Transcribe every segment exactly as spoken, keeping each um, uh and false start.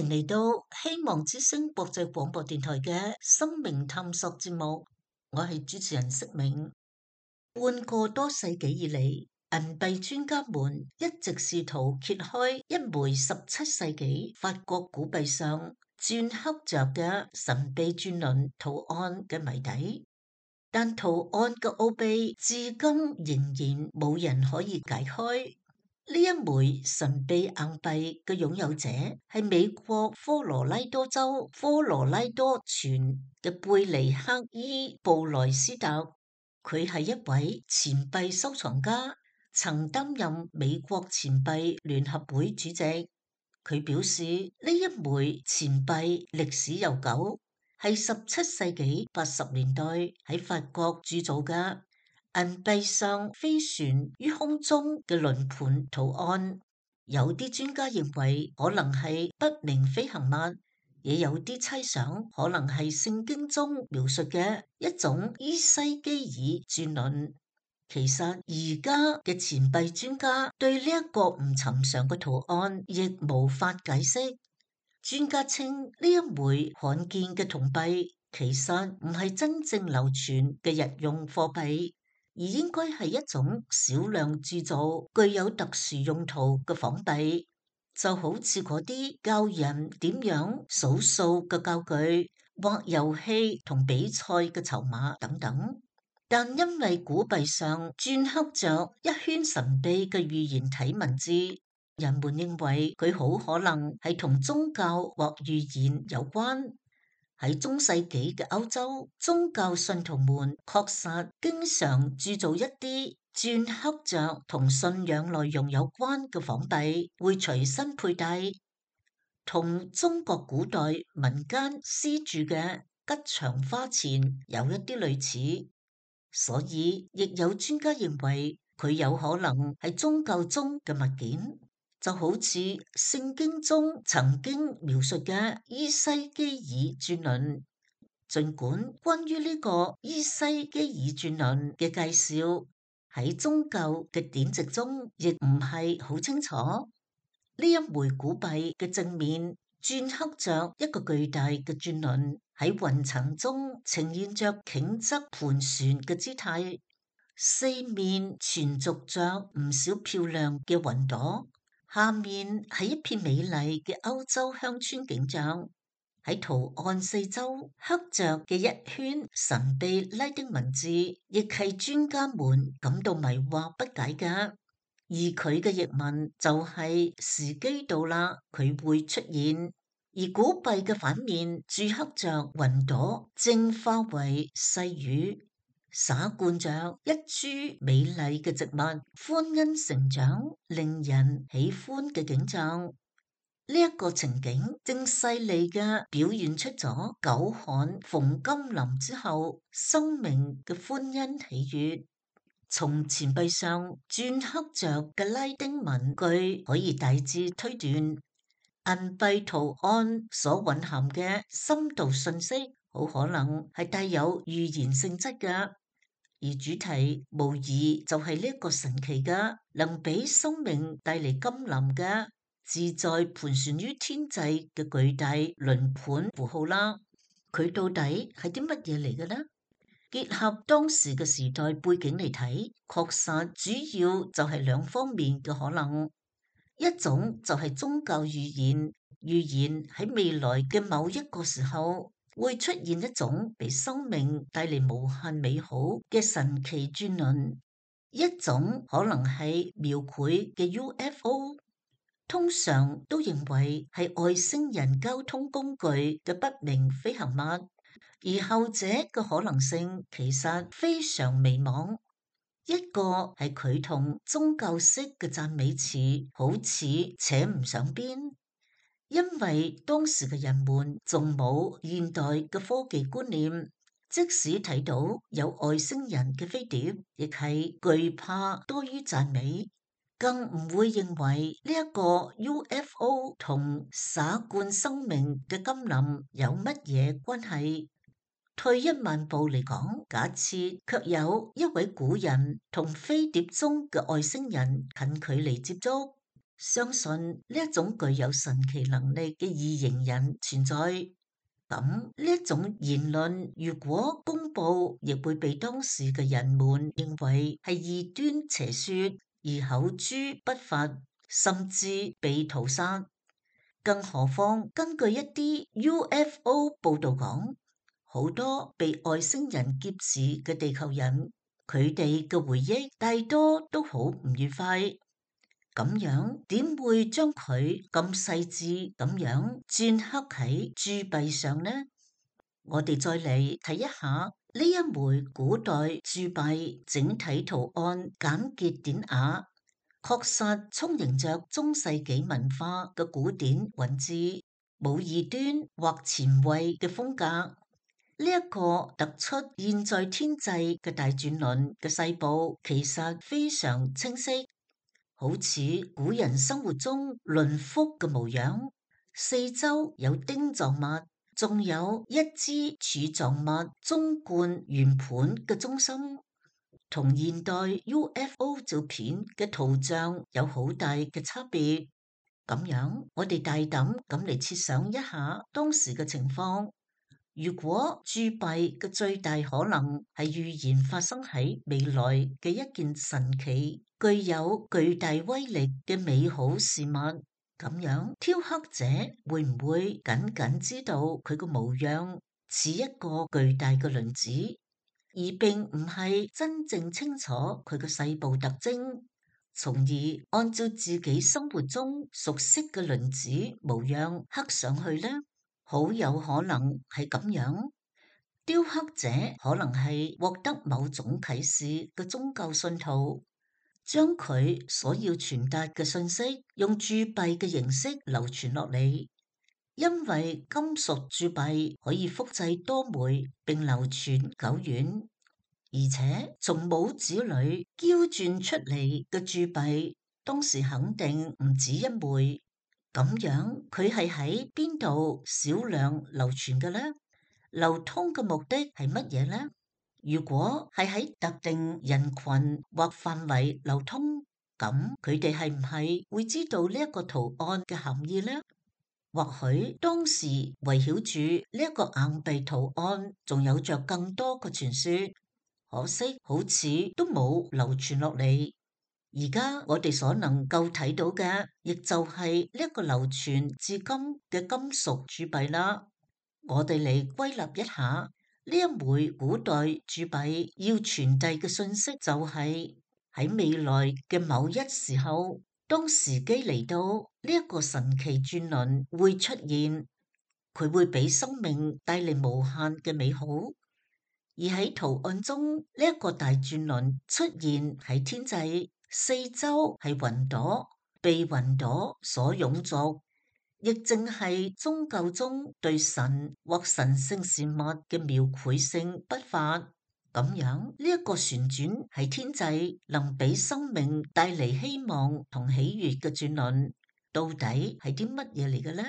迎嚟到希望之聲國際廣播電台嘅生命探索節目，我係主持人釋銘。半個多世紀以嚟，銀幣專家們一直試圖揭開一枚十七世紀法國古幣上鐫刻着嘅神秘轉輪圖案嘅謎底，但圖案嘅奧秘至今仍然冇人可以解開。呢一枚神秘硬幣嘅擁有者係美國科羅拉多州科羅拉多泉嘅貝尼克伊布萊斯特，佢係一位錢幣收藏家，曾擔任美國錢幣聯合會主席。佢表示呢一枚錢幣歷史悠久，係十七世紀八十年代喺法國鑄造嘅。銀幣上飛旋於空中嘅輪盤圖案，有啲專家認為可能係不明飛行物，也有啲猜想可能係聖經中描述嘅一種伊西基爾轉輪。其實而家嘅錢幣專家對呢一個唔尋常嘅圖案亦無法解釋。專家稱呢一枚罕見嘅銅幣其實唔係真正流傳嘅日用貨幣，而應該係一種少量鑄造、具有特殊用途嘅仿幣，就好似嗰啲教人點樣數數嘅教具，或遊戲同比賽嘅籌碼等等。但因為古幣上鐫刻着一圈神秘嘅預言體文字，人們認為佢好可能係同宗教或預言有關。喺中世紀嘅歐洲，宗教信徒們確實經常鑄造一啲鐫刻着同信仰內容有關嘅仿幣，會隨身佩戴，同中國古代民間絲鑄嘅吉祥花錢有一啲類似。所以亦有專家認為佢有可能係宗教中嘅物件。就好似聖經中曾經描述嘅伊西基爾轉輪，儘管關於呢個伊西基爾轉輪嘅介紹喺宗教嘅典籍中亦唔係好清楚。呢一枚古幣嘅正面鐫刻着一個巨大嘅轉輪喺雲層中呈現着傾側盤旋嘅姿態，四面纏續着唔少漂亮嘅雲朵。下面係一片美麗嘅歐洲鄉村景象，喺圖案四周刻着嘅一圈神秘拉丁文字，亦係專家們感到迷惑不解嘅。而佢嘅譯文就係時機到啦，佢會出現。而古幣嘅反面鑄刻着雲朵正化為細雨，灑灌着一株美麗嘅植物歡欣成長，令人喜歡嘅景象。呢、這、一個情景正細膩嘅表現出咗久旱逢甘霖之後生命嘅歡欣喜悅。從錢幣上鐫刻着嘅拉丁文句可以大致推斷，銀幣圖案所蘊含嘅深度信息好可能係帶有預言性質嘅。而主題無疑就係呢個神奇嘅，能俾生命帶嚟甘霖嘅自在盤旋於天際嘅巨大輪盤符號啦。佢到底係啲乜嘢嚟嘅呢？結合當時嘅時代背景嚟睇，確實主要就係兩方面嘅可能。一種就係宗教預言，預言喺未來嘅某一個時候會出現一種俾生命帶嚟無限美好嘅神奇轉輪。一種可能係描繪嘅 U F O， 通常都認為係外星人交通工具嘅不明飛行物，而後者嘅可能性其實非常微茫。一個係佢同宗教式嘅讚美詞好似扯唔上邊，因為當時嘅人們仲冇現代嘅科技觀念，即使睇到有外星人嘅飛碟，亦係懼怕多於讚美，更唔會認為呢一個 U F O 同灑灌生命嘅甘霖有乜嘢關係。退一萬步嚟講，假設卻有一位古人同飛碟中嘅外星人近距離接觸，相信呢一種具有神奇能力嘅異形人存在。咁呢一種言論如果公佈，亦會被當時嘅人們認為係異端邪說，而口誅筆伐，甚至被屠殺。更何況根據一啲 U F O 報導講，好多被外星人劫持嘅地球人，佢哋嘅回憶大多都好唔愉快。咁樣點會將佢咁細緻咁樣鐫刻喺鑄幣上呢？我哋再嚟睇一下呢一枚古代鑄幣整體圖案簡潔典雅，確實充盈着中世紀文化嘅古典韻致，冇異端或前衛嘅風格。呢、這、一個突出現在天際嘅大轉輪嘅細部，其實非常清晰，好似古人生活中輪輻嘅模樣，四周有丁狀物。仲有一支柱狀物縱貫圓盤嘅中心，同現代 U F O 照片嘅圖像有好大嘅差別。咁樣，我哋大膽咁嚟設想一下當時嘅情況。如果鑄幣嘅最大可能係預言發生喺未來嘅一件神奇、具有巨大威力嘅美好事物。咁樣，雕刻者會唔會僅僅知道佢個模樣似一個巨大嘅輪子，而並唔係真正清楚佢個細部特徵，從而按照自己生活中熟悉嘅輪子模樣刻上去呢？好有可能係咁樣。雕刻者可能係獲得某種啟示嘅宗教信徒，將佢所要傳達嘅信息用鑄幣嘅形式流傳落嚟，因為金屬鑄幣可以複製多枚並流傳久遠，而且從帽子裏嬌鑽出嚟嘅鑄幣，當時肯定唔止一枚。咁樣佢係喺邊度少量流傳嘅呢？流通嘅目的係乜嘢呢？如果係喺特定人群或範圍流通，咁佢哋係唔係會知道呢一個圖案嘅含義呢？或許當時圍繞住呢一個硬幣圖案，仲有着更多嘅傳說，可惜好似都冇流傳落嚟。而家我哋所能夠睇到嘅，亦就係呢一個流傳至今嘅金屬鑄幣啦。我哋嚟歸納一下。呢一枚古代鑄幣要傳遞嘅信息就係喺未來嘅某一時候，當時機嚟到，呢一個神奇轉輪會出現，佢會俾生命帶嚟無限嘅美好。而喺圖案中，呢一個大轉輪出現喺天際，四周係雲朵，被雲朵所擁簇。亦正係宗教中對神或神聖事物嘅描繪性筆法，咁樣呢一個旋轉喺天際，能俾生命帶嚟希望同喜悅嘅轉輪，到底係啲乜嘢嚟嘅呢？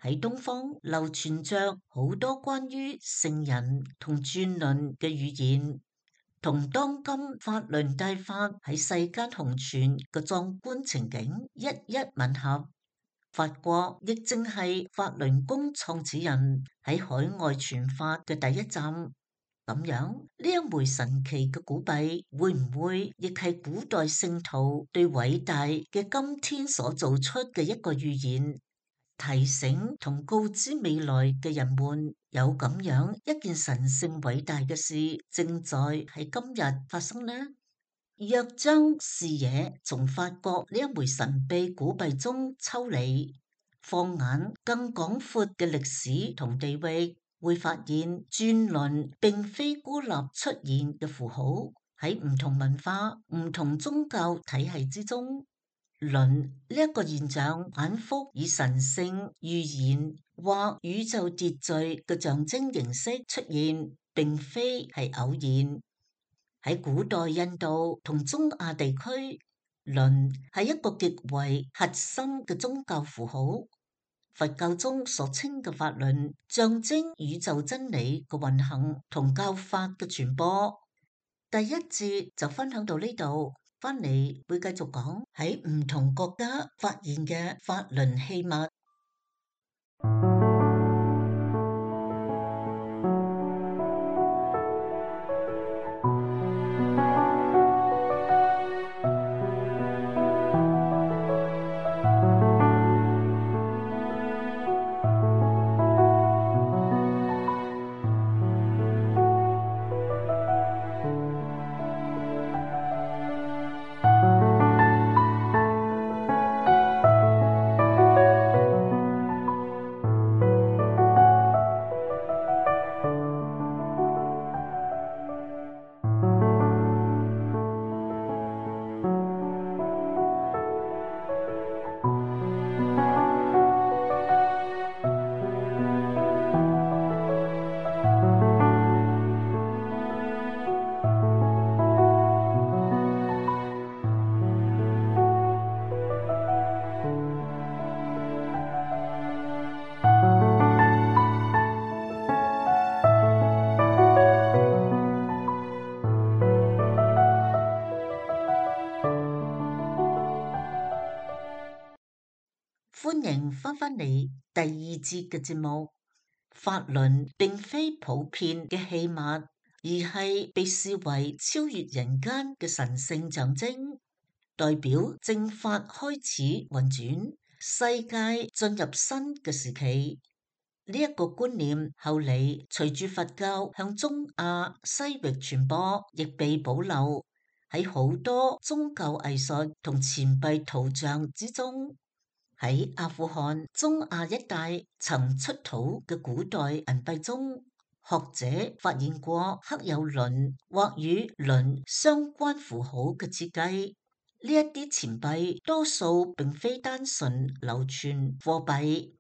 喺東方流傳着好多關於聖人同轉輪嘅語言，同當今法輪大法喺世間紅傳嘅壯觀情景一一吻合。法國亦正係法輪功創始人喺海外傳法嘅第一站，咁樣呢一枚神奇嘅古幣會唔會亦係古代聖徒對偉大嘅今天所做出嘅一個預言，提醒同告知未來嘅人們有咁樣一件神聖偉大嘅事正在喺今日發生呢？若將視野從法國呢一枚神秘古幣中抽離，放眼更廣闊嘅歷史同地域，會發現轉輪並非孤立出現嘅符號，喺唔同文化、唔同宗教體系之中，輪呢一個現象反覆以神聖、預言或宇宙秩序嘅象徵形式出現，並非係偶然。喺古代印度同中亞地區，輪係一個極為核心嘅宗教符號。佛教中所稱嘅法輪，象徵宇宙真理嘅運行同教法嘅傳播。第一節就分享到呢度。翻嚟會繼續講喺唔同國家發現嘅法輪器物。歡迎翻返嚟第二節嘅節目。法輪並非普遍嘅器物，而係被視為超越人間嘅神聖象徵，代表正法開始運轉，世界進入新嘅時期。呢、這、一個觀念後嚟隨住佛教向中亞西域傳播，亦被保留喺好多宗教藝術同錢幣圖像之中。喺阿富汗、中亞一帶曾出土嘅古代銀幣中，學者發現過刻有輪或與輪相關符號嘅設計。呢一啲錢幣多數並非單純流傳貨幣，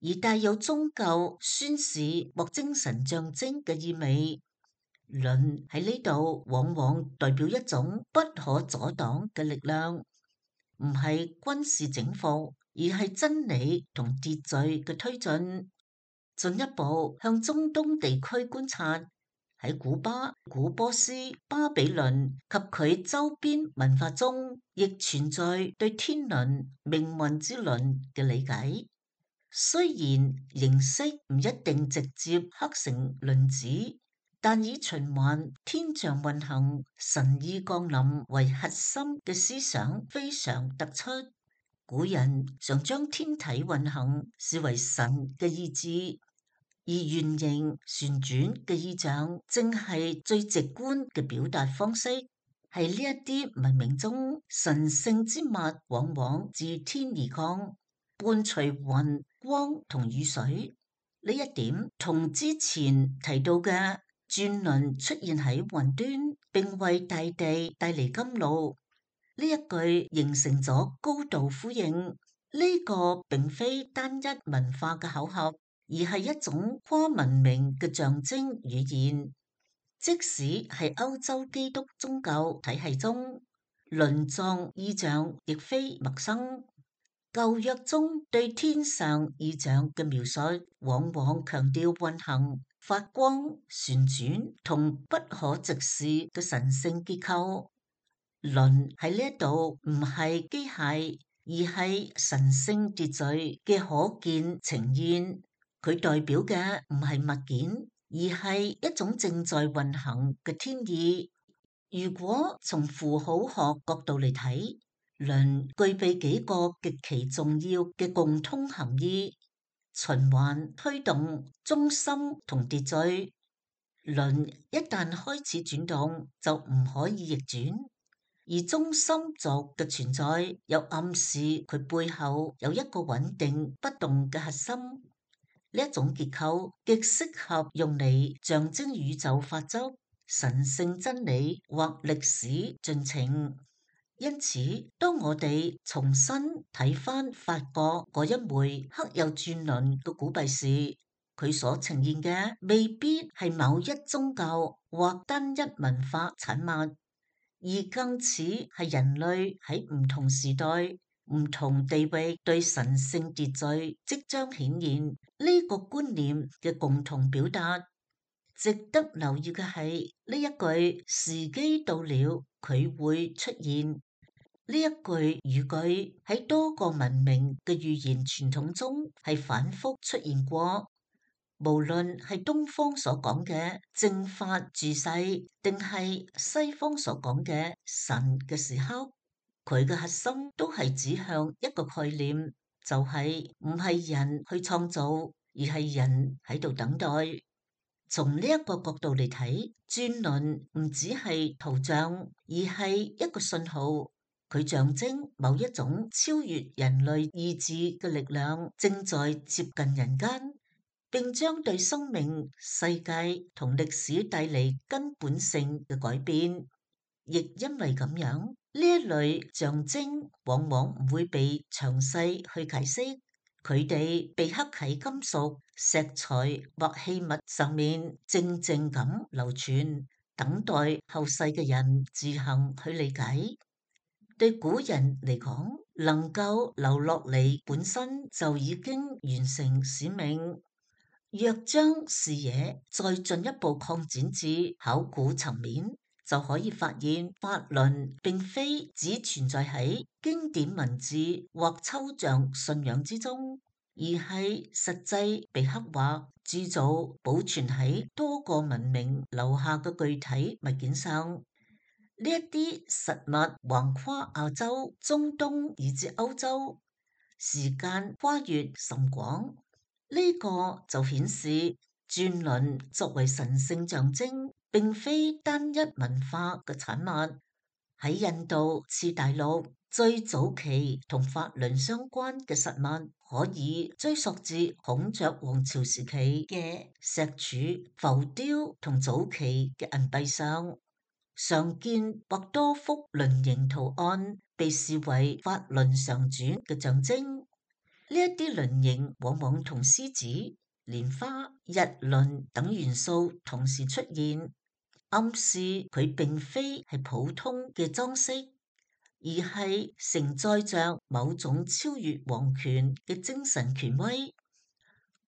而帶有宗教宣示或精神象徵嘅意味。輪喺呢度往往代表一種不可阻擋嘅力量，唔係軍事整復，而係真理同秩序嘅推進。進一步向中東地區觀察，喺古巴、古波斯、巴比倫及佢周邊文化中，亦存在對天輪、命運之輪嘅理解。雖然形式唔一定直接刻成輪子，但以循環、天象運行、神意降臨為核心嘅思想非常突出。古人常將天體運行視為神嘅意志，而圓形旋轉嘅意象正係最直觀嘅表達方式。係呢一啲文明中神聖之物，往往自天而降，伴隨雲、光同雨水。呢一點同之前提到嘅轉輪出現喺雲端，並為大地帶嚟甘露，呢一句形成咗高度呼應。呢、這個並非單一文化嘅巧合，而係一種跨文明嘅象徵語言。即使係歐洲基督宗教體系中，輪狀意象亦非陌生。舊約中對天上意象嘅描述，往往強調運行、發光、旋轉同不可直視嘅神聖結構。輪喺呢一度唔係機械，而係神聖秩序嘅可見呈現。佢代表嘅唔係物件，而係一種正在運行嘅天意。如果從符號學角度嚟睇，輪具備幾個極其重要嘅共通含義：循環、推動、中心同秩序。輪一旦開始轉動，就唔可以逆轉。而中心軸嘅存在，又暗示佢背後有一個穩定不動嘅核心。呢一種結構極適合用嚟象徵宇宙法則、神聖真理或歷史進程。因此，當我哋重新睇返法國嗰一枚刻有轉輪嘅古幣時，佢所呈現嘅未必係某一宗教或單一文化產物，而更似係人類喺唔同時代、唔同地域對神聖秩序即將顯現呢個觀念嘅共同表達。值得留意嘅係呢一句時機到了，佢會出現。呢一句語句喺多個文明嘅語言傳統中係反覆出現過，無論係東方所講嘅正法住世，定係西方所講嘅神嘅時刻，佢嘅核心都係指向一個概念，就係唔係人去創造，而係人喺度等待。從呢一個角度嚟睇，轉輪唔只係圖像，而係一個信號。佢象徵某一種超越人類意志嘅力量正在接近人間，並將對生命、世界同歷史帶嚟根本性嘅改變。亦因為咁樣，呢一類象徵往往唔會被詳細去解釋，佢哋被刻喺金屬、石材或器物上面，靜靜咁流傳，等待後世嘅人自行去理解。對古人嚟講，能夠留落嚟本身就已經完成使命。若將視野再進一步擴展至考古層面，就可以發現法輪並非只存在喺經典文字或抽象信仰之中，而係實際被刻畫、鑄造、保存喺多個文明留下嘅具體物件上。呢一啲實物橫跨亞洲、中東以至歐洲，時間跨越甚廣。呢個就顯示轉輪作為神聖象徵，並非單一文化嘅產物。喺印度次大陸最早期同法輪相關嘅實物，可以追溯至孔雀王朝時期嘅石柱、浮雕同早期嘅銀幣上。常見或多幅輪形圖案，被視為法輪常轉嘅象徵。呢一啲輪形往往同獅子、蓮花、日輪等元素同時出現，暗示佢並非係普通嘅裝飾，而係承載着某種超越皇權嘅精神權威。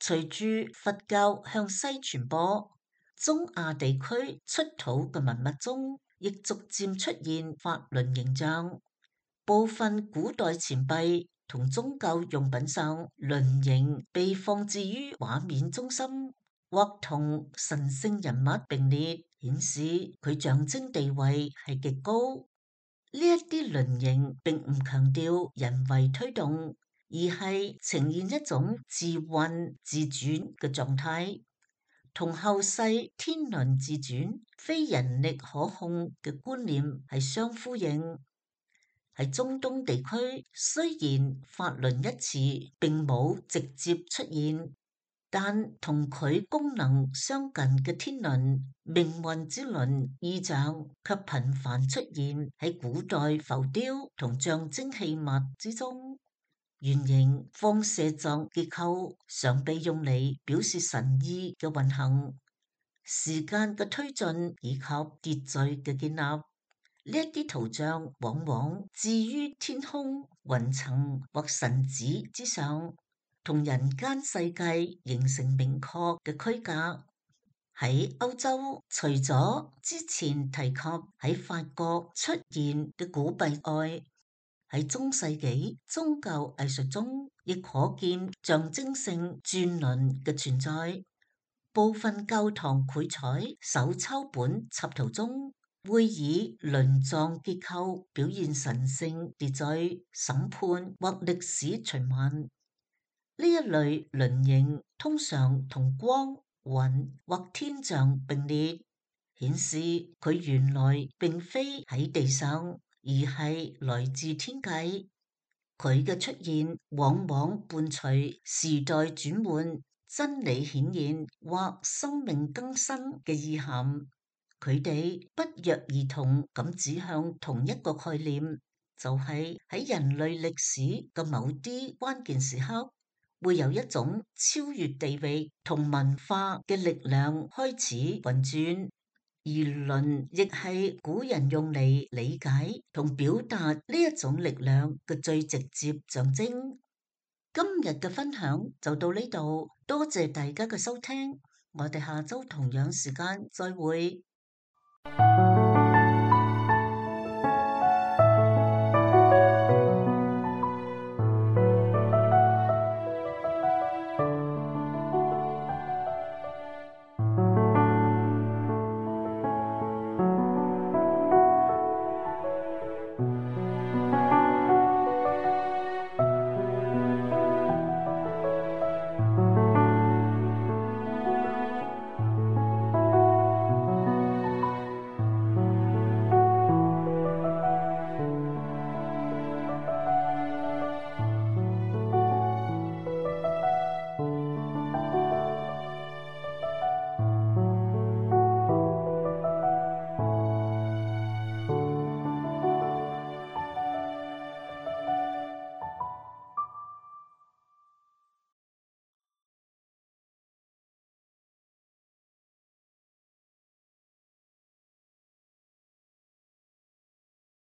隨住佛教向西傳播，中亞地區出土嘅文物中，亦逐漸出現法輪形象。部分古代錢幣同宗教用品上，輪形被放置於畫面中心，或同神聖人物並列，顯示佢象徵地位係極高。呢一啲輪形並唔強調人為推動，而係呈現一種自運自轉嘅狀態，同後世天輪自轉、非人力可控嘅觀念係相呼應。喺中東地區，雖然法輪一詞並冇直接出現，但同佢功能相近嘅天輪、命運之輪意象卻頻繁出現喺古代浮雕同象徵器物之中。圓形放射狀結構常被用嚟表示神意嘅運行、時間嘅推進以及秩序嘅建立。呢一啲圖像往往置於天空、雲層或神子之上，同人間世界形成明確嘅區隔。喺歐洲，除咗之前提及喺法國出現嘅古幣外，喺中世紀宗教藝術中，亦可見象徵性轉輪嘅存在。部分教堂繪彩手抄本插圖中，會以輪狀結構表現神聖秩序、審判或歷史循環。呢一類輪形通常同光、雲或天象並列，顯示佢原來並非喺地上，而係來自天界。佢嘅出現往往伴隨時代轉換、真理顯現或生命更新嘅意涵。佢哋不約而同咁指向同一個概念，就係喺人類歷史嘅某啲關鍵時刻，會有一種超越地域同文化嘅力量開始運轉，而輪亦係古人用嚟理解同表達呢一種力量嘅最直接象徵。今日嘅分享就到呢度，多謝大家嘅收聽。我哋下周同樣時間再會。